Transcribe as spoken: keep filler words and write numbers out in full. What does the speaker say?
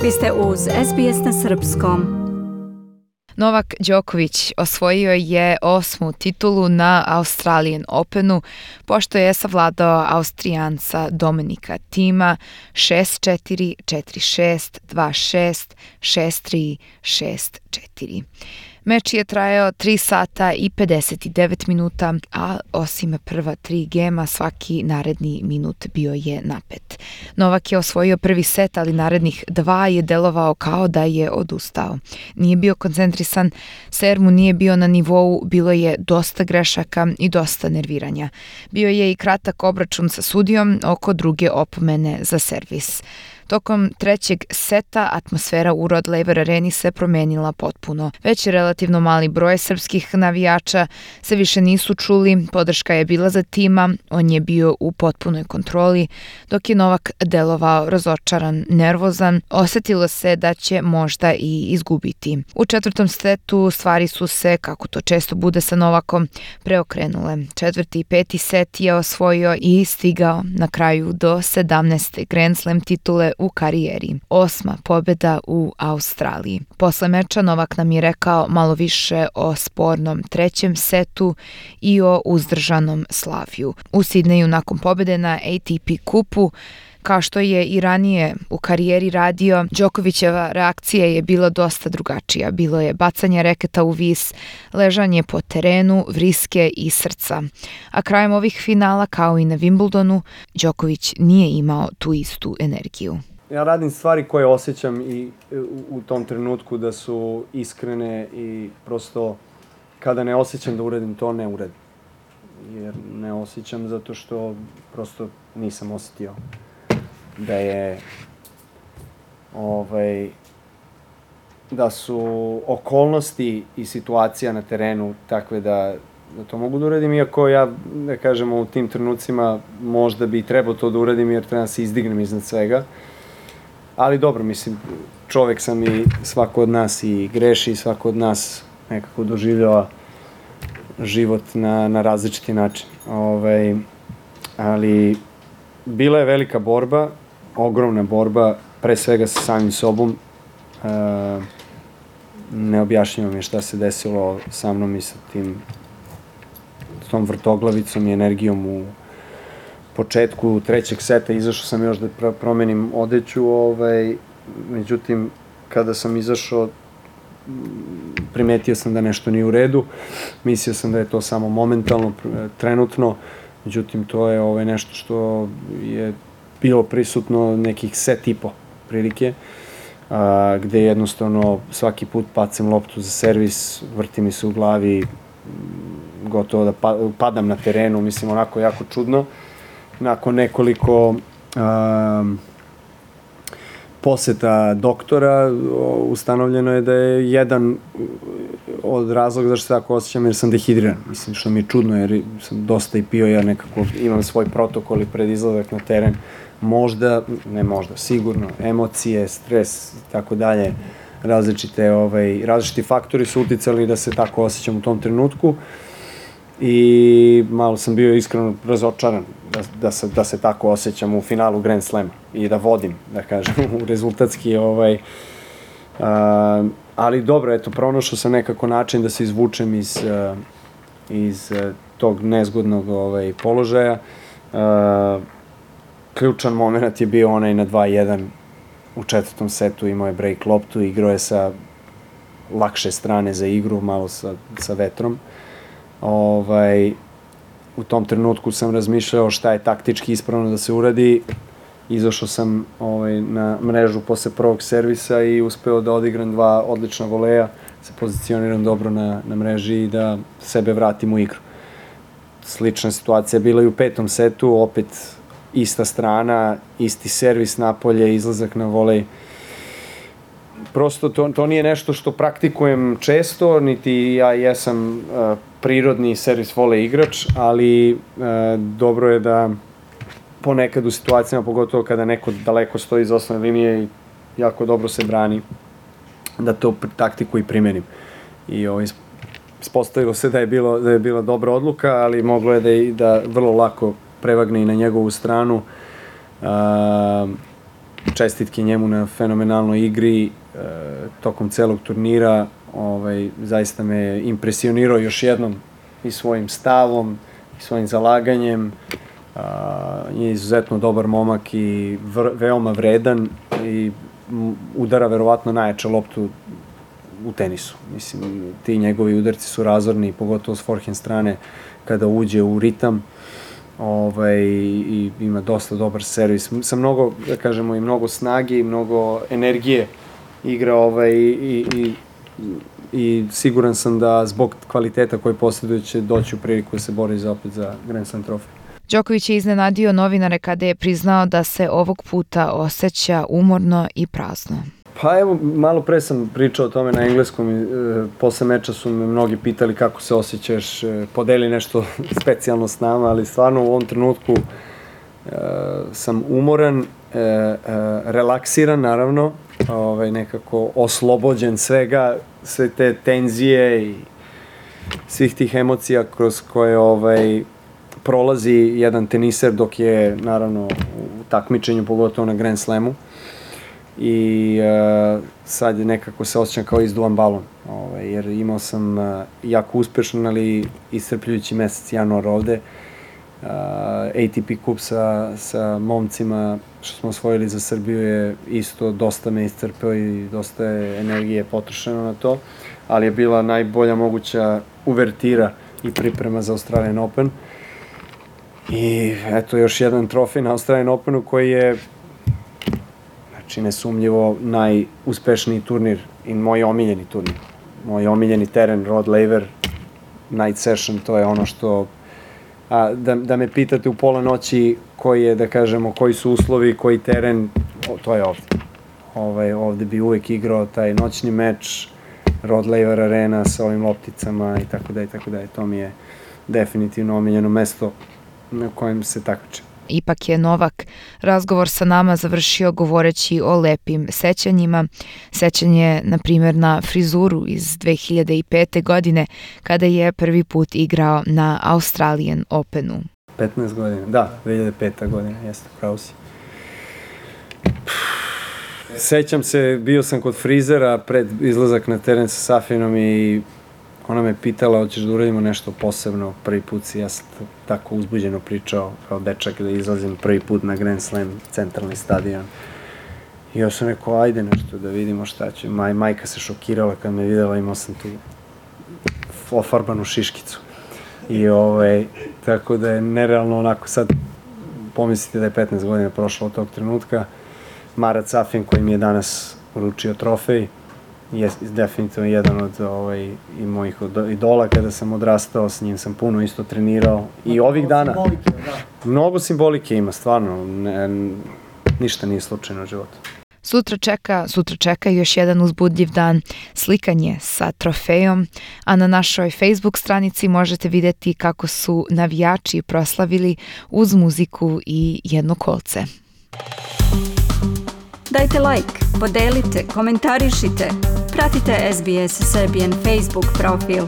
Vi ste uz S B S na srpskom. Novak Đoković osvojio je osmu titulu na Australian Openu, pošto je savladao Austrijanca Dominika Thima šest četiri, četiri šest, dva šest, šest tri, šest četiri. Meč je trajao tri sata i pedeset devet minuta, a osim prva tri gema, svaki naredni minut bio je napet. Novak je osvojio prvi set, ali narednih dva je delovao kao da je odustao. Nije bio koncentrisan, ser mu nije bio na nivou, bilo je dosta grešaka i dosta nerviranja. Bio je i kratak obračun sa sudijom oko druge opomene za servis. Tokom trećeg seta atmosfera u Rod Laver Areni se promenila potpuno. Već je relativno mali broj srpskih navijača se više nisu čuli, podrška je bila za Thima, on je bio u potpunoj kontroli, dok je Novak delovao razočaran, nervozan, osetilo se da će možda i izgubiti. U četvrtom setu stvari su se, kako to često bude sa Novakom, preokrenule. Četvrti i peti set je osvojio i stigao na kraju do sedamnaeste Grand Slam titule u karijeri. Osma pobjeda u Australiji. Posle meča Novak nam je rekao malo više o spornom trećem setu i o uzdržanom slavlju. U Sidneju nakon pobjede na A T P kupu, kao što je i ranije u karijeri radio, Đokovićeva reakcija je bila dosta drugačija. Bilo je bacanje reketa u vis, ležanje po terenu, vriske i srca. A krajem ovih finala, kao i na Wimbledonu, Đoković nije imao tu istu energiju. Ja radim stvari koje osjećam i u, u tom trenutku da su iskrene i prosto kada ne osjećam da uradim to, ne uradim. Jer ne osjećam zato što prosto nisam osjetio da je ovaj, da su okolnosti i situacija na terenu takve da, da to mogu da uradim, iako ja, da kažemo, u tim trenucima možda bi trebao to da uradim jer treba da se izdignem iznad svega. Ali dobro, mislim, čovek sam i svako od nas i greši i svako od nas nekako doživljava život na, na različiti način. Ovaj, ali bila je velika borba, ogromna borba, pre svega sa samim sobom. E, ne objašnjavam je šta se desilo sa mnom i sa tim, s tom vrtoglavicom i energijom u početku trećeg seta. Izašao sam još da promenim odeću, ovaj, međutim, kada sam izašao, primetio sam da nešto nije u redu, mislio sam da je to samo momentalno, trenutno, međutim, to je ovaj, nešto što je bilo prisutno nekih set i po prilike, a, gde jednostavno svaki put bacim loptu za servis, vrti mi se u glavi, gotovo da pa, padam na terenu, mislim, onako jako čudno. Nakon nekoliko um, poseta doktora ustanovljeno je da je jedan od razloga zašto se tako osjećam jer sam dehidriran. Mislim, što mi je čudno jer sam dosta i pio, ja nekako imam svoj protokol i pred izlazak na teren. Možda, ne možda, sigurno, emocije, stres i tako dalje, različite, ovaj, različiti faktori su uticali da se tako osjećam u tom trenutku. I malo sam bio iskreno razočaran da, da, se, da se tako osjećam u finalu Grand Slama i da vodim, da kažem, u rezultatski, ovaj, a, ali dobro, eto, pronašao sam nekako način da se izvučem iz, a, iz a, tog nezgodnog ovaj, položaja. A, ključan moment je bio onaj na dva jedan u četvrtom setu, imao je break loptu, igrao je sa lakše strane za igru, malo sa, sa vetrom. Ovaj, u tom trenutku sam razmišljao šta je taktički ispravno da se uradi. Izašao sam ovaj, na mrežu posle prvog servisa i uspeo da odigram dva odlična voleja, se pozicioniram dobro na, na mreži i da sebe vratim u igru. Slična situacija bila i u petom setu, opet ista strana, isti servis napolje, izlazak na volej. Prosto to, to nije nešto što praktikujem često, niti ja jesam uh, prirodni servis volej igrač, ali uh, dobro je da ponekad u situacijama, pogotovo kada neko daleko stoji iz osnovne linije i jako dobro se brani, da to taktiku i primenim. I ovo, ispostavilo se da je, bilo, da je bila dobra odluka, ali moglo je da, je, da vrlo lako prevagne i na njegovu stranu. Uh, čestitke njemu na fenomenalnoj igri e, tokom celog turnira. Ovaj, zaista me je impresionirao još jednom i svojim stavom i svojim zalaganjem. A, je izuzetno dobar momak i vr, veoma vredan i udara verovatno najjače loptu u tenisu. Mislim, ti njegovi udarci su razorni, pogotovo s forehand strane kada uđe u ritam. Ovaj, i ima dosta dobar servis. Sa mnogo, da kažemo, i mnogo snage i mnogo energije igra ovaj, i, i, i siguran sam da zbog kvaliteta koji posjeduje će doći u priliku da se bori za opet za Grand Slam trofej. Đoković je iznenadio novinare kada je priznao da se ovog puta osjeća umorno i prazno. Pa evo, malo pre sam pričao o tome na engleskom i e, posle meča su me mnogi pitali kako se osjećaš, e, podeli nešto specijalno s nama, ali stvarno u ovom trenutku e, sam umoran, e, e, relaksiran naravno, ovaj, nekako oslobođen svega, sve te tenzije i svih tih emocija kroz koje ovaj, prolazi jedan teniser dok je naravno u takmičenju, pogotovo na Grand Slamu. I uh, sad je nekako se osjećam kao izduvan balon, ovaj, jer imao sam uh, jako uspešan, ali iscrpljujući mesec januar ovde. Uh, A T P kup sa, sa momcima što smo osvojili za Srbiju je isto dosta me iscrpeo i dosta je energije potrošeno na to, ali je bila najbolja moguća uvertira i priprema za Australian Open. I eto još jedan trofej na Australian Openu koji je znači nesumnjivo najuspešniji turnir i moj omiljeni turnir. Moj omiljeni teren, Rod Laver, Night Session, to je ono što... A, da, da me pitate u pola noći koji je, da kažemo, koji su uslovi, koji teren, o, to je ovde. Ovaj, ovde bi uvek igrao taj noćni meč, Rod Laver Arena sa ovim lopticama i tako da i tako da. To mi je definitivno omiljeno mesto na kojem se takmičim. Ipak je Novak razgovor sa nama završio govoreći o lepim sećanjima. Sećanje, na primjer, na frizuru iz dve hiljade pete. godine, kada je prvi put igrao na Australian Openu. petnaest godina, da, dve hiljade peta. godina, jeste, pravo si. Sećam se, bio sam kod frizera pred izlazak na teren sa Safinom i ona me pitala, hoćeš da uradimo nešto posebno, prvi put si, ja sam tako uzbuđeno pričao kao dečak da izlazim prvi put na Grand Slam, centralni stadion. I ja sam rekao, ajde nešto da vidimo šta će. Maj, majka se šokirala kad me videla, imao sam tu ofarbanu šiškicu. I ovaj, tako da je nerealno onako sad, pomislite da je petnaest godina prošlo od tog trenutka. Marat Safin koji mi je danas uručio trofej, je definitivno jedan od ovaj, i mojih idola kada sam odrastao, s njim sam puno isto trenirao i ovih dana. Simbolike, da. Mnogo simbolike ima, stvarno, ne, ništa nije slučajno u životu. Sutra čeka, sutra čeka još jedan uzbudljiv dan, slikanje sa trofejom, a na našoj Facebook stranici možete vidjeti kako su navijači proslavili uz muziku i jedno kolce. Dajte like, podelite, komentarišite, pratite S B S Serbian Facebook profil.